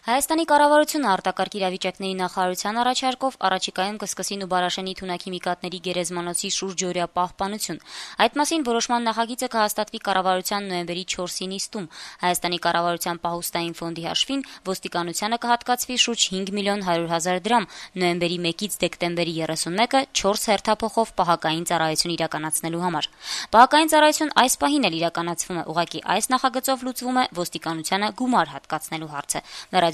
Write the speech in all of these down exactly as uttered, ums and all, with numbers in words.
Հայաստանի կառավարությունը արտակարգ իրավիճակների նախարարության առաջարկով առաջիկայում կսկսի Նուբարաշենի թունաքիմիկատների գերեզմանոցի շուրջօրյա պահպանություն։ Այդ մասին որոշման նախագիծը կհաստատվի կառավարության նոյեմբերի չորսի նիստում։ Հայաստանի կառավարության պահուստային ֆոնդի հաշվին ոստիկանությանը կհատկացվի շուրջ հինգ միլիոն հարյուր հազար դրամ նոյեմբերի մեկից դեկտեմբերի երեսունմեկը չորս հերթափոխով պահակային ծառայություն իրականացնելու համար։ Պահակային ծառայություն այս պահին էլ իրականացվում է, ուղղակի այս նախագծով լուծվում է ոստիկանությանը գումար հատկացնելու հարցը։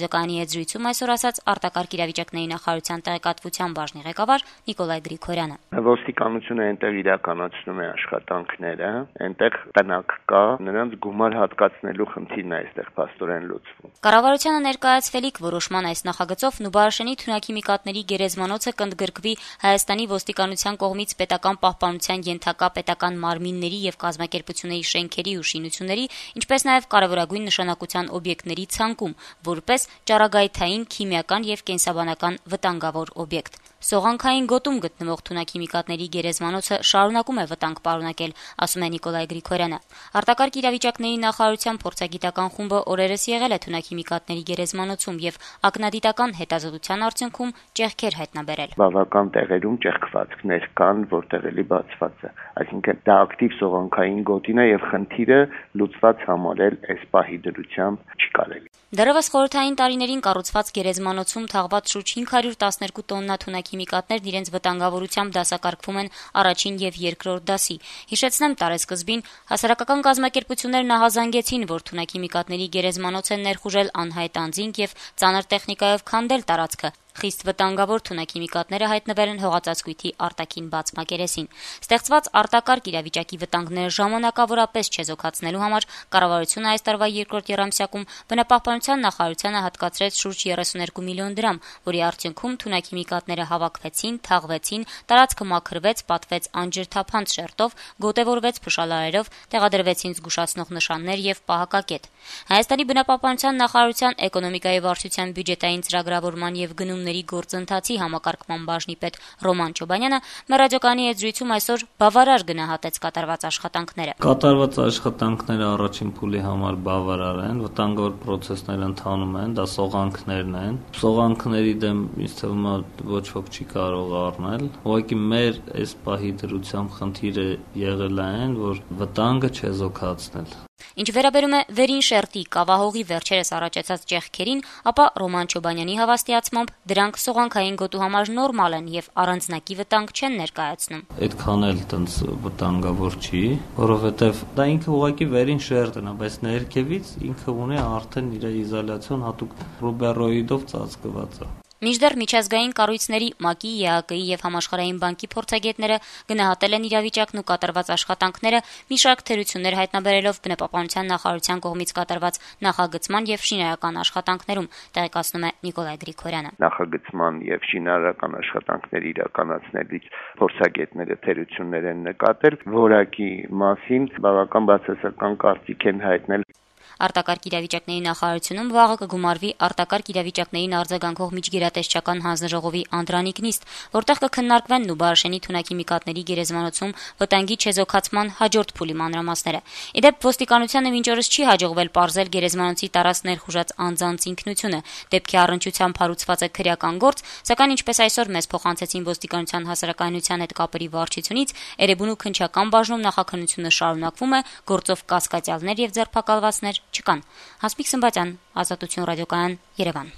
Ռադիոկայանի հետ զրույցում այսօր ասաց արտակարգ իրավիճակների նախարարության տեղեկատվության բաժնի ղեկավար Նիկոլայ Գրիգորյանը։ Ոստիկանությունը այնտեղ իրականացնում է աշխատանքները, այնտեղ տնակ կա, նրանց գումար հատկացնելու խնդիրն է այստեղ փաստորեն լուծվում։ Կառավարությանը ներկայացվելիք որոշման այս նախագծով Նուբարաշենի թունաքիմիկատների գերեզմանոցը կընդգրկվի Հայաստանի ոստիկանության կողմից պետական պահպանության ենթակա պետական մարմինների եւ կազմակերպությունների շենքերի ու շինությունների, ինչպես նաեւ կարևորագույն նշանակության օբյեկտների ցանկում, որպես ճառագայթային, քիմիական եւ կենսաբանական վտանգավոր օբյեկտ։ Սողանքային գոտում գտնվող թունաքիմիկատների գերեզմանոցը շարունակում է վտանգ պարունակել, ասում է Նիկոլայ Գրիգորյանը։ Արտակարգ իրավիճակների նախարարության փորձագիտական խումբը օրերս եղել է թունաքիմիկատների գերեզմանոցում եւ ակնադիտական հետազոտության արդյունքում ճեղքեր հայտնաբերել։ Բավական տեղերում ճեղքվածքներ կան, որտեղ էլի բացված է, այսինքն դա ակտիվ սողանքային գոտին է եւ խնդիրը լուծված համարել այս պահի դրությամբ չի կարելի։ Դեռևս խորհրդային տարիներին կառուցված գերեզմանոցում թաղված շուրջ հինգ հարյուր տասներկու տոննա թունաքիմիկատներն իրենց վտանգավորությամբ դասակարգվում են առաջին եւ երկրորդ դասի։ Հիշեցնեմ, տարեսկզբին հասարակական կազմակերպություններն ահազանգեցին, որ թունաքիմիկատների գերեզմանոց են ներխուժել անհայտ անձինք եւ ծանր տեխնիկայով քանդել տարածքը։ Խիստ վտանգավոր թունաքիմիկատները հայտնվել են հողածածկույթի արտաքին բաց մակերեսին։ Ստեղծված արտակարգ իրավիճակի վտանգները ժամանակավորապես չեզոքացնելու համար կառավարությունը այս տարվա երկրորդ եռամսյակում բնապահպանության նախարարությանը հատկացրեց շուրջ երեսուներկու միլիոն դրամ, որի արդյունքում թունաքիմիկատները հավաքվեցին, թաղվեցին, տարածքը մաքրվեց, պատվեց անջրթափանց շերտով, գոտևորվեց փշալարերով, տեղադրվեցին զգուշացնող նշաններ եւ պահակակետ։ Հայաստանի բնապահպանության նախարարության էկոնոմիկայի վարչության բյուջետային ծրագրավորման եւ գնումների գործընթացի համակարգման բաժնի պետ Ռոման Չոբանյանը մեր ռադիոկայանի հետ զրույցում այսօր բավարար գնահատեց կատարված աշխատանքները։ Կատարված աշխատանքները առաջին փուլի համար բավարար են, վտանգավոր պրոցեսներ ընթանում են, դա սողանքներն են։ Սողանքների դեմ ինձ թվում է ոչ ոք չի կարող առնել։ Ուղղակի մեր այս պահի դրությամբ խնդիրը եղել է այն, որ վտանգը չեզոքացնել։ Ինչ վերաբերում է վերին շերտի կավահողի վերջերս առաջացած ճեղքերին, ապա Ռոման Չոբանյանի հավաստիացմամբ դրանք սողանքային գոտու համար նորմալ են եւ առանձնակի վտանգ չեն ներկայացնում։ Այդքան էլ տենց վտանգավոր չի, որովհետեւ դա ինքը ուղղակի վերին շերտն է, բայց ներքևից ինքը ունի արդեն իր իզոլյացիոն հատուկ ռուբերոիդով ծածկված է։ Մինչդեռ միջազգային կառույցների ՄԱԿ-ի, ԵԱԿ-ի եւ Համաշխարհային բանկի փորձագետները գնահատել են իրավիճակն ու կատարված աշխատանքները, մի շարք թերություններ հայտնաբերելով բնապահպանության նախարարության կողմից կատարված նախագծման եւ շինարարական աշխատանքներում, տեղեկացնում է Նիկոլայ Գրիգորյանը։ Նախագծման եւ շինարարական աշխատանքների իրականացնելիս փորձագետները թերություններ են նկատել, որակի մասին բավական բացասական կարծիք են հայտնել։ Արտակարգ իրավիճակների նախարարությունում վաղը կգումարվի արտակարգ իրավիճակներին արձագանքող միջգերատեսչական հանձնաժողովի անդրանիկ նիստ, որտեղ կքննարկվեն Նուբարաշենի թունաքիմիկատների գերեզմանոցում վտանգի չեզոքացման հաջորդ փուլի մանրամասները։ Իդեպ ոստիկանությանը մինչ օրս չի հաջողվել պարզել գերեզմանոցի տարածք ներխուժած անձանց ինքնությունը։ Դեպքի առնչությամբ հարուցված է քրեական գործ, սակայն ինչպես այսօր մեզ փոխանցեցին ոստիկանության հասարակայնության հետ կապերի վարչությունից, Էրեբունու քննչական բաժնում նախաքննությունը շարունակվում է, գործով կասկածյալներ եւ ձերբակալվածներ չկան։ Հասմիկ Սմբատյան, Ազատություն ռադիոկայան, Երևան։